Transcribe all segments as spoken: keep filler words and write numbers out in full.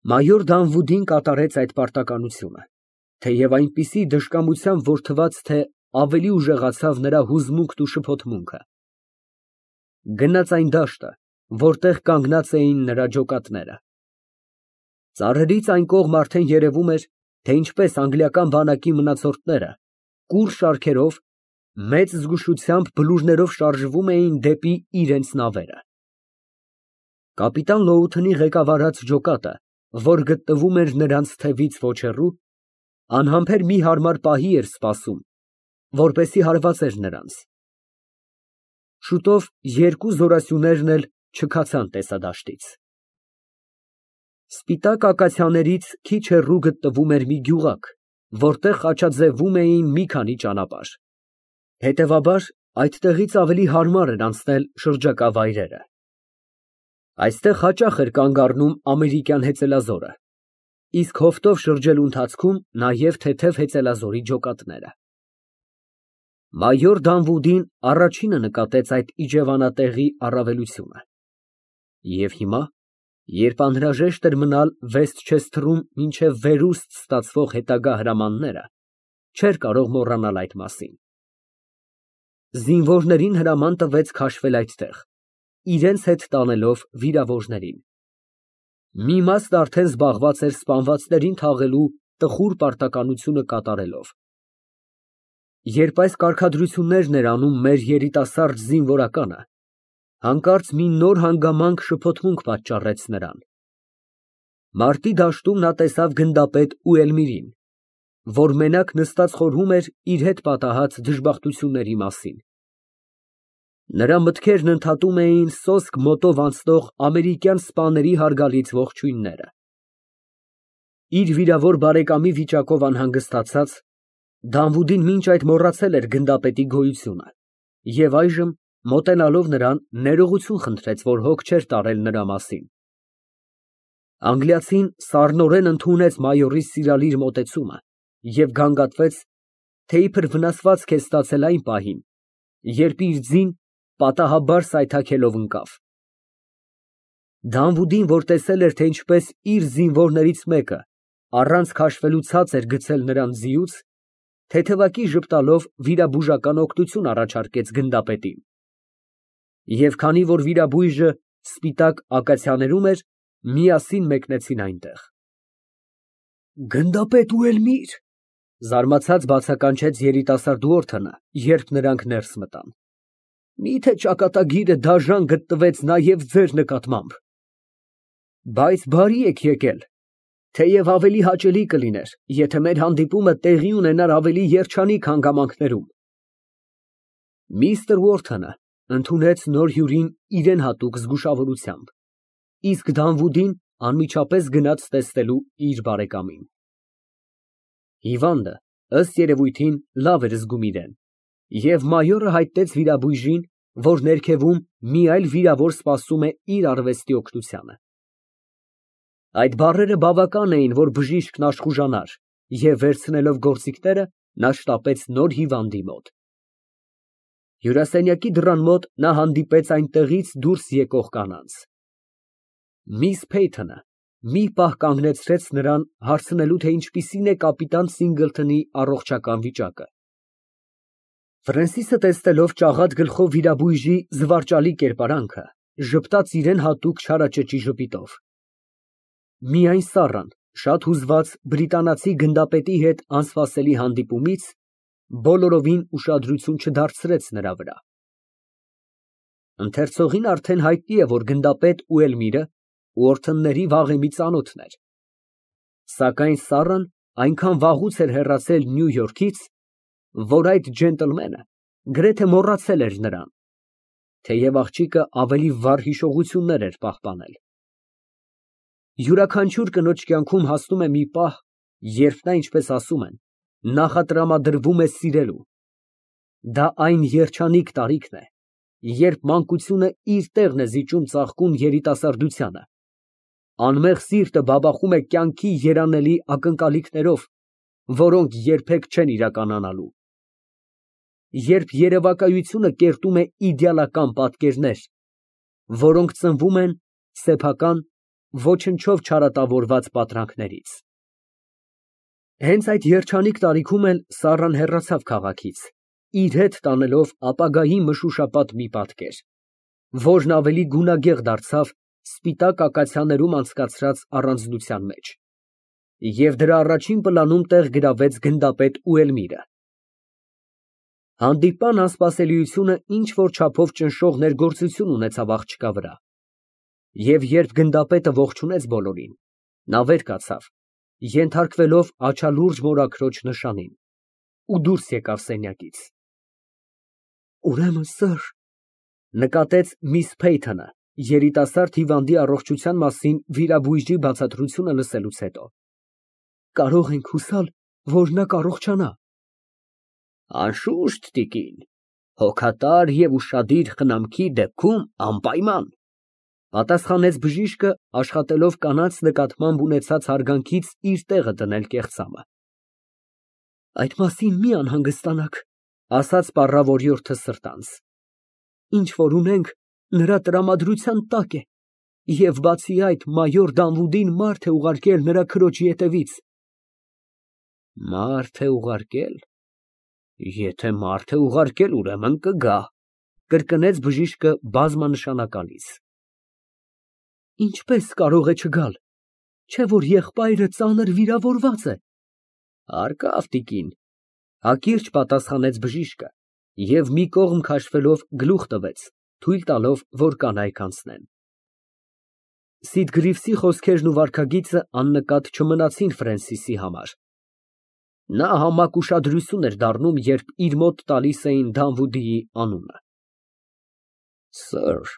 Մայոր Դանվուդին կատարեց այդ պարտականությունը, թեև այնպիսի դժկամությամբ, որ թվաց, թե ավելի ուժեղացավ նրա հուզմունքն ու շփոթմունքը։ Գնաց այն դաշտը, որտեղ կանգնած էին նրա ջոկատները։ Ծառերից այն կողմ արդեն երևում էր, թե ինչպես անգլիական բանակի մնացորդները կուռ շարքերով, մեծ զգուշությամբ բլուրներով շարժվում էին դեպի իրենց նավերը։ Կապիտան Լոութոնի ղեկավարած ջոկատը, որ գտնվում էր նրանց թևից ոչ հեռու, անհամբեր մի հարմար պահի էր սպասում, որպեսզի հարվածեր նրանց։ Շուտով երկու զորասյուներն էլ չքացան տեսադաշտից։ Սպիտակ ակացիաներից քիչ հեռու գտնվում էր մի գյուղակ, որտեղ խաչաձևում էին մի քանի ճանապարհ։ Հետևաբար, այդտեղից ավելի հարմար էր անցնել շրջակա վայրերը։ Այստեղ հաճախ էր կանգ առնում ամերիկյան հեծելազորը, իսկ հովտով շրջելու ընթացքում նաև թեթև հեծելազորի ջոկատները։ Մայոր Դանվուդին առաջինը նկատեց այդ իջևանատեղի առավելությունը։ Եվ հիմա, երբ անհրաժեշտ էր մնալ Վեսթչեսթրում մինչև վերուստ ստացվող հետագա հրամանները, չէր կարող մոռանալ այդ մասին։ Զինվորներին հրաման տվեց քաշվել այդտեղ, իրենց հետ տանելով վիրավորներին։ Մի մասն արդեն զբաղված էր սպանվածներին թաղելու տխուր պարտականությունը կատարելով։ Երբ այս կարգադրություններն էր անում մեր երիտասարդ զինվորականը, հանկարծ մի նոր հանգամանք շփոթմունք պատճառեց նրան։ Մարտի դաշտում նա տեսավ գնդապետ Ուելմիրին, որ մենակ նստած խորհում էր իր հետ պատահած դժբախտությունների մասին։ Նրա մտքերն ընդհատում էին սոսկ մոտով անցնող ամերիկյան սպաների հարգալից ողջույնները։ Իր վիրավոր բարեկամի վիճակով անհանգստացած, Դանվուդին մինչ այդ մոռացել էր գնդապետի գոյությունը և այժմ, մոտենալով նրան, ներողություն խնդրեց, որ հոգ չէր տարել նրա մասին։ Անգլիացին սառնորեն ընդունեց մայորի սիրալիր մոտեցումը և գանգատվեց, թե իբր վնասվածք է ստացել այն պահին, երբ իր ձին պատահաբար սայթաքելով ընկավ։ Դանվուդին, որ տեսել էր, թե ինչպես իր զինվորներից մեկը առանց քաշվելու ցած էր գցել նրան ձիուց, թեթևակի ժպտալով վիրաբուժական օգնություն առաջարկեց գնդապետին։ Եվ քանի որ վիրաբույժը սպիտակ ակացիաներում էր, միասին մեկնեցին այնտեղ։ Գնդապետ Ուելմիր, զարմացած բացականչեց երիտասարդ Ուորթոնը, երբ նրանք ներս մտան։ Միթե ճակատագիրը դաժան գտնվեց նաև ձեր նկատմամբ։ Բայց բարի եք եկել, թեև ավելի հաճելի կլիներ, եթե մեր հանդիպումը տեղի ունենար ավելի երջանիկ հանգամանքներում։ Միստր Ուորթոնը ընդունեց նոր հյուրին իրան հատուկ զգուշավորությամբ, իսկ Դանվուդին անմիջապես գնաց տեսնելու իր բարեկամին։ Հիվանդը, ըստ երևույթին, լավ էր զգում իրեն, և մայորը հայտնեց վիրաբույժին, որ ներքևում մի այլ վիրավոր սպասում է իր արվեստի օգնությանը։ Այդ բառերը բավական էին, որ բժիշկն աշխուժանար, և վերցնելով գործիքները, նա շտապեց նոր հիվանդի մոտ։ Հյուրասենյակի դռան մոտ նա հանդիպեց այնտեղից դուրս եկող կանանց։ Միս Փեյթոնը մի պահ կանգնեցրեց նրան, հարցնելու, թե ինչպիսին է կապիտան Սինգլթոնի առողջական վիճակը։ Ֆրենսիսը, տեսնելով ճաղատ գլխով վիրաբույժի զվարճալի կերպարանքը, ժպտաց իրան հատուկ չարաճճի ժպիտով։ Միայն Սառան, շատ հուզված բրիտանացի գնդապետի հետ անսպասելի հանդիպումից, բոլորովին ուշադրություն չդարձրեց նրա վրա։ Ընթերցողին արդեն հայտնի է, որ գնդապետ Ուելմիրը Ուորթոնների վաղեմի ծանոթն էր։ Սակայն Սառան այնքան վաղուց էր հեռացել Նյու Յորքից, որ այդ ջենտլմենը գրեթե մոռացել էր նրան, թեև աղջիկը ավելի վառ հիշողություններ էր պահպանել։ Յուրաքանչյուր կնոջ կյանքում հասնում է մի պահ, երբ նա, ինչպես ասում են, նախատրամադրվում է սիրելու։ Դա այն երջանիկ տարիքն է, երբ մանկությունը իր տեղն է զիջում ծաղկուն երիտասարդությանը, անմեղ սիրտը բաբախում է կյանքի երանելի ակնկալիքներով, որոնք երբեք չեն իրականանալու, երբ երևակայությունը կերտում է իդեալական պատկերներ, որոնք ծնվում են սեփական ոչնչով չարատավորված պատրանքներից։ Հենց այդ երջանիկ տարիքում էլ Սառան հեռացավ քաղաքից, իր հետ տանելով ապագայի մշուշապատ մի պատկեր, որն ավելի գունագեղ դարձավ սպիտակ ակացիաներում անցկացրած առանձնության մեջ, և դրա առաջին պլանում տեղ գրավեց գնդապետ ու Էլմիրը։ Հանդիպման անսպասելիությունը ինչ֊որ չափով ճնշող ներգործություն ունեցավ աղջկա վրա, և երբ գնդապետը ողջունեց բոլորին, նա վեր կացավ, ենթարկվելով աչալուրջ մորաքրոջ նշանին, ու դուրս եկավ սենյակից։ Ուրեմն, սըր, նկատեց միս Փեյթոնը, երիտասարդ հիվանդի առողջության մասին վիրաբույժի բացատրությունը լսելուց հետո, կարող ենք հուսալ, որ նա կառողջանա։ Անշուշտ, տիկին, հոգատար և ուշադիր խնամքի դեպքում անպայման, պատասխանեց բժիշկը, աշխատելով կանանց նկատմամբ ունեցած հարգանքից իր տեղը դնել կեղծամը։ Այդ մասին մի անհանգստանաք, ասաց պառավորյորդը սրտանց, ինչ որ ունենք, նրա տրամադրության տակ է, և բացի այդ, մայոր Դանվուդին մարդ է ուղարկել նրա քրոջի հետևից։ Մարդ է ուղարկել, եթե մարդ է ուղարկել, ուրեմն կգա, կրկնեց բժիշկը բազմանշանակալից։ Ինչպես կարող է չգալ, չէ որ եղբայրը ծանր վիրավորված է։ Հարկավ, տիկին, հակիրճ պատասխանեց բժիշկը և մի կողմ քաշվելով գլուխ տվեց, թույլ տալով, որ կանայք անցնեն։ Սիդգրիվսի խոսքերն ու վարքագիծը աննկատ չմնացին Ֆրենսիսի համար։ Նա համակ ուշադրություն էր դառնում, երբ իր մոտ տալիս էին Դանվուդիի անունը։ Սըր,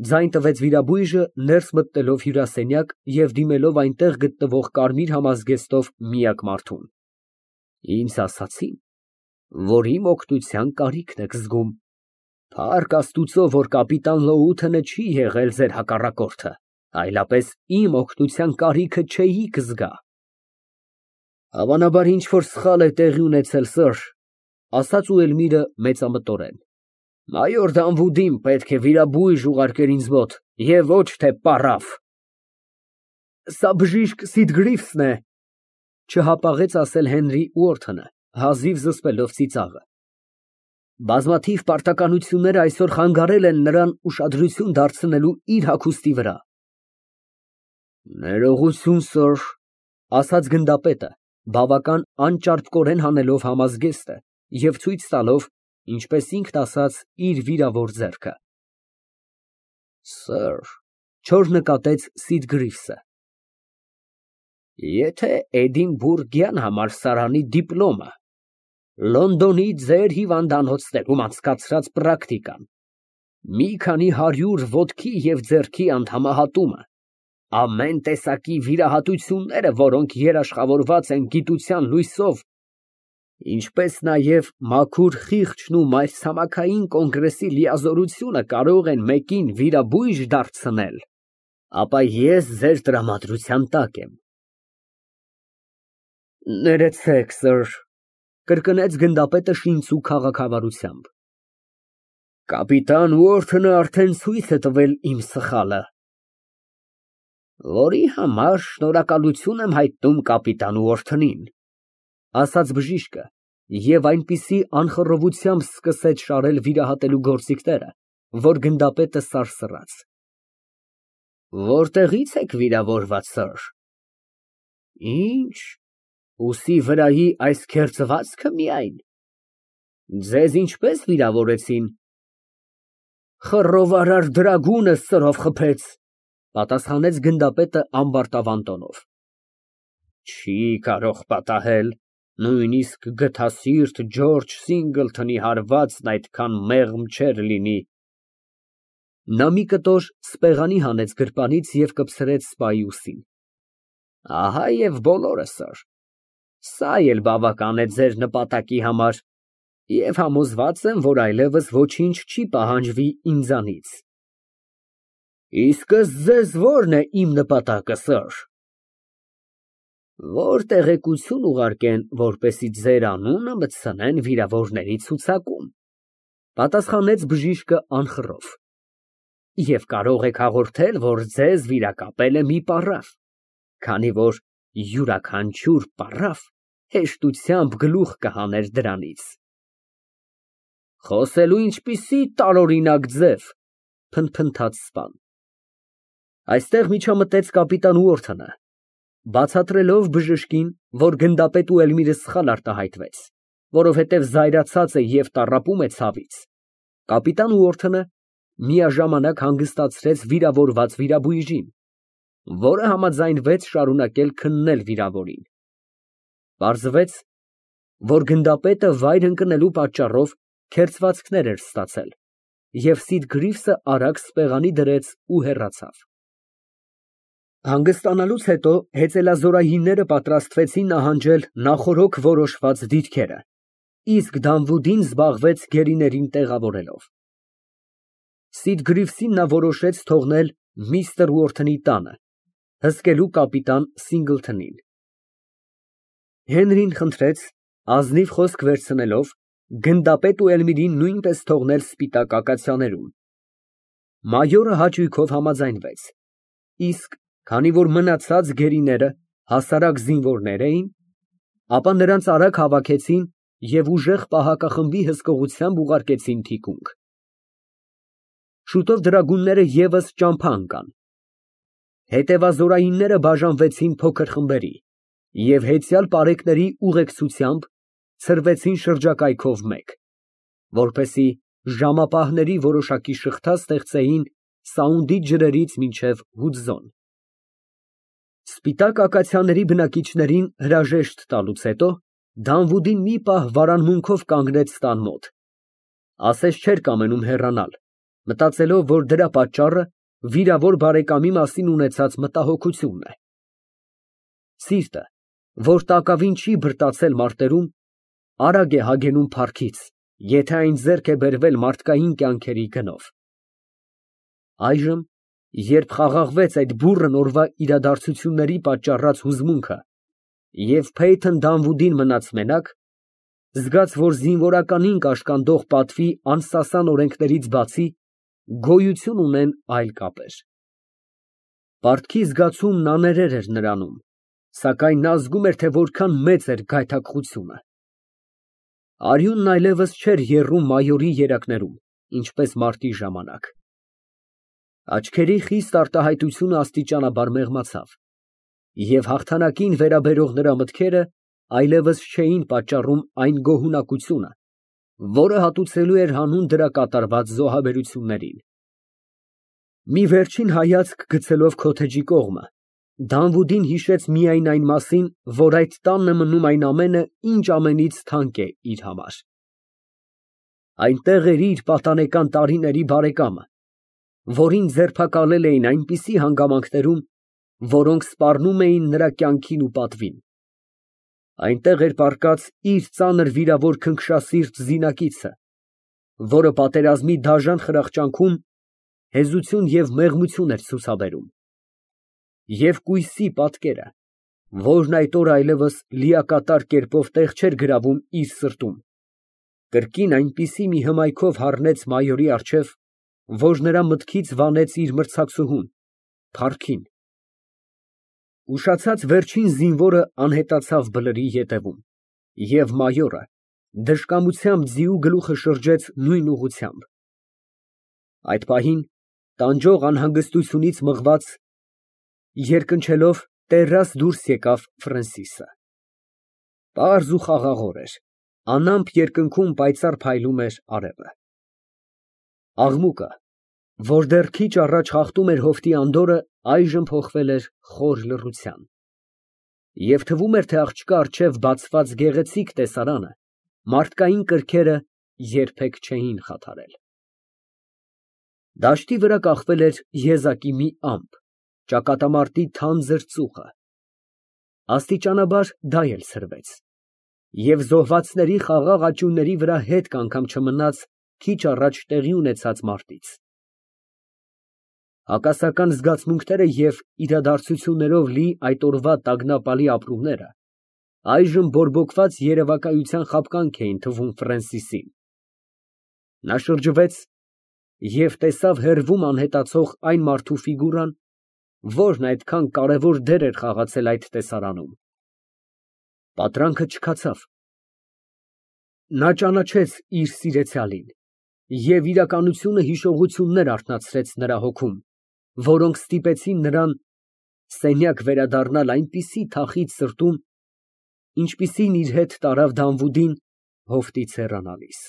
ձայն տվեց վիրաբույժը, ներս մտնելով հյուրասենյակ և դիմելով այնտեղ գտնվող կարմիր համազգեստով միակ մարդուն։ Ինձ ասացին, որ իմ օգնության կարիքն եք զգում։ Փառք Աստուծո, որ կապիտան Լոութենը չի եղել ձեր հակառակորդը, այլապես իմ օգնության կարիքը չէիք զգա։ Հավանաբար ինչ֊որ սխալ է տեղի ունեցել, սըր, ասաց Էլմիրը մեծամտորեն։ Մայոր Դանվուդին պետք է վիրաբույժ ուղարկեր ինձ մոտ, և ոչ թե պառավ։ Սա բժիշկ Սիդգրիվսն է, չհապաղեց ասել Հենրի Ուորթոնը, հազիվ զսպելով ծիծաղը։ Բազմաթիվ պարտականություններ այսօր խանգարել են նրան ուշադրություն դարձնելու իր հագուստի վրա։ Ներողություն, սըր, ասաց գնդապետը, բավական անճարպկորեն հանելով համազգեստը և ցույց տալով, ինչպես ինքն ասաց, իր վիրավոր ձեռքը։ Սըր, չոր նկատեց Սիդգրիվսը, եթե Էդինբուրգյան համալսարանի դիպլոմը, Լոնդոնի ձեր հիվանդանոցներում անցկացրած պրակտիկան, մի քանի հարյուր ոտքի և ձեռքի անդամահատումը, ամեն տեսակի վիրահատությունները, որոնք երաշխավորված են գիտության լույսով, ինչպես նաև մաքուր խիղճն ու մայրցամաքային կոնգրեսի լիազորությունը կարող են մեկին վիրաբույժ դարձնել, ապա ես ձեր տրամադրության տակ եմ։ Ներեցեք, սըր, կրկնեց գնդապետը շինծու քաղաքավարությամբ։ Կապիտան Ուորթոնը արդեն ցույց է տվել իմ սխալը։ Որի համար շնորհակալություն եմ հայտնում կապիտան Ուորթոնին, ասաց բժիշկը և այնպիսի անխռովությամբ սկսեց շարել վիրահատելու գործիքները, որ գնդապետը սարսռաց։ Որտեղի՞ց եք վիրավորված, սըր։ Ինչ, ուսի վրայի այս քերծվածքը միայն։ Ձեզ ինչպես վիրավորեցին։ Խռովարար դրագունը սրով խփեց, պատասխանեց գնդապետը ամբարտավան տոնով։ Չի կարող պատահել, նույնիսկ գթասիրտ Ջորջ Սինգլթոնի հարվածն այդքան մեղմ չէր լինի։ Նա մի կտոր սպեղանի հանեց գրպանից և կպցրեց սպայի ուսին։ Ահա և բոլորը, սըր, սա էլ բավական է ձեր նպատակի համար, և համոզված եմ, որ այլևս ոչինչ չի պահանջվի ինձանից։ Իսկ ըստ ձեզ ո՞րն է իմ նպատակը, սըր։ Որ տեղեկություն ուղարկեն, որպեսզի ձեր անունը մտցնեն վիրավորների ցուցակում, պատասխանեց բժիշկը անխռով։ Եվ կարող եք հաղորդել, որ ձեզ վիրակապել է մի պառավ, քանի որ յուրաքանչյուր պառավ հեշտությամբ գլուխ կհաներ դրանից։ Խոսելու ինչպիսի տարօրինակ ձև, փնթփնթաց սպան։ Այստեղ միջամտեց կապիտան Ուորթոնը, բացատրելով բժշկին, որ գնդապետ Էլմիրը սխալ արտահայտվեց, որովհետև զայրացած է և տառապում է ցավից, կապիտան Ուորթոնը միաժամանակ հանգստացրեց վիրավորված վիրաբույժին, որը համաձայնվեց շարունակել քննել վիրավորին։ Պարզվեց, որ գնդապետը վայր ընկնելու պատճառով քերծվածքներ էր ստացել, և Սիդգրիվսը արագ սպեղանի դրեց ու հեռացավ։ Հանգստանալուց հետո հեծելազորայինները պատրաստվեցին նահանջել նախօրոք որոշված դիրքերը, իսկ Դանվուդին զբաղվեց գերիներին տեղավորելով։ Սիդգրիվսին նա որոշեց թողնել միստր Ուորթոնի տանը, հսկելու կապիտան Սինգլթոնին։ Հենրին խնդրեց, ազնիվ խոսք վերցնելով, գնդապետ Էլմիրին նույնպես թողնել սպիտակ ակացիաներում։ Մայորը հաճույքով համաձայնվեց, իսկ քանի որ մնացած գերիները հասարակ զինվորներ էին, ապա նրանց արագ հավաքեցին և ուժեղ պահակախմբի հսկողությամբ ուղարկեցին թիկունք։ Շուտով դրագունները ևս ճամփա ընկան։ Հետևազորայինները բաժանվեցին փոքր խմբերի և հեծյալ պարեկների ուղեկցությամբ ցրվեցին շրջակայքով մեկ, որպեսզի ժամապահների որոշակի շղթա ստեղծեին Սաունդի ջրերից մինչև Հուդզոն։ Սպիտակ ակացիաների բնակիչներին հրաժեշտ տալուց հետո Դանվուդին մի պահ վարանմունքով կանգնեց տան մոտ, ասես չէր կամենում հեռանալ, մտածելով, որ դրա պատճառը վիրավոր բարեկամի մասին ունեցած մտահոգությունն է։ Սիրտը, որ տակավին չի բրտացել մարտերում, արագ է հագենում փառքից, եթե այն ձեռք է բերվել մարդկային կյանքերի գնով։ Այժմ, երբ խաղաղվեց այդ բուռն օրվա իրադարձությունների պատճառած հուզմունքը և Փեյթոն Դանվուդին մնաց մենակ, զգաց, որ զինվորականին կաշկանդող պատվի անսասան օրենքներից բացի գոյություն ունեն այլ կապեր։ Պարտքի զգացումն աներեր էր նրանում, սակայն նա զգում էր, թե որքան մեծ էր գայթակղությունը։ Արյունն այլևս չէր եռում մայորի երակներում, ինչպես մարտի ժամանակ։ Աչքերի խիստ արտահայտությունը աստիճանաբար մեղմացավ, և հաղթանակին վերաբերող նրա մտքերը այլևս չէին պատճառում այն գոհունակությունը, որը հատուցելու էր հանուն դրա կատարված զոհաբերություններին։ Մի վերջին հայացք գցելով քոթեջի կողմը, Դանվուդին հիշեց միայն այն մասին, որ այդ տանն է մնում այն ամենը, ինչ ամենից թանկ է իր համար։ Այնտեղ էր իր պատանեկան տարիների բարեկամը, որին ձերբակալել էին այնպիսի հանգամանքներում, որոնք սպառնում էին նրա կյանքին ու պատվին։ Այնտեղ էր պառկած իր ծանր վիրավոր քնքշասիրտ զինակիցը, որը պատերազմի դաժան խրախճանքում հեզություն և մեղմություն էր ցուցաբերում, և կույսի պատկերը, որն այդ օրը այլևս լիակատար կերպով տեղ չէր գրավում իր սրտում, կրկին այնպիսի մի հմայքով հառնեց մայորի առջև, որ նրա մտքից վանեց իր մրցակցուհուն, փառքին։ Ուշացած վերջին զինվորը անհետացավ բլրի ետևում, և մայորը դժկամությամբ ձիու գլուխը շրջեց նույն ուղղությամբ։ Այդ պահին տանջող անհանգստությունից մղված, երկնչելով տեռաս դուրս եկավ Ֆրենսիսը։ Պարզ ու խաղաղ օր էր, անամպ երկնքում պայծառ փայլում էր արևը։ Աղմուկը, որ դեռ քիչ առաջ խախտում էր հովտի անդորրը, այժմ փոխվել էր խոր լռության, և թվում էր, թե աղջկա առջև բացված գեղեցիկ տեսարանը մարդկային կրքերը երբեք չէին խաթարել։ Դաշտի վրա կախվել էր եզակի մի ամպ, ճակատամարտի թանձր ծուխը։ Աստիճանաբար դա էլ ցրվեց, և զոհվածների խաղաղ աճյունների վրա հետք անգամ չմնաց քիչ առաջ տեղի ունեցած մարտից։ Հակասական զգացմունքները և իրադարձություններով լի այդ օրվա տագնապալի ապրումները այժմ բորբոքված երևակայության խաբկանք էին թվում Ֆրենսիսին։ Նա շրջվեց Եվ տեսավ հեռվում անհետացող այն մարդու ֆիգուրան, որն այդքան կարևոր դեր էր խաղացել այդ տեսարանում։ Պատրանքը չքացավ։ Նա ճանաչեց իր սիրեցյալին, և իրականությունը հիշողություններ արթնացրեց նրա հոգում, որոնք ստիպեցին նրան սենյակ վերադառնալ այնպիսի թախիծ սրտում, ինչպիսին իր հետ տարավ Դանվուդին հովտից հեռանալիս։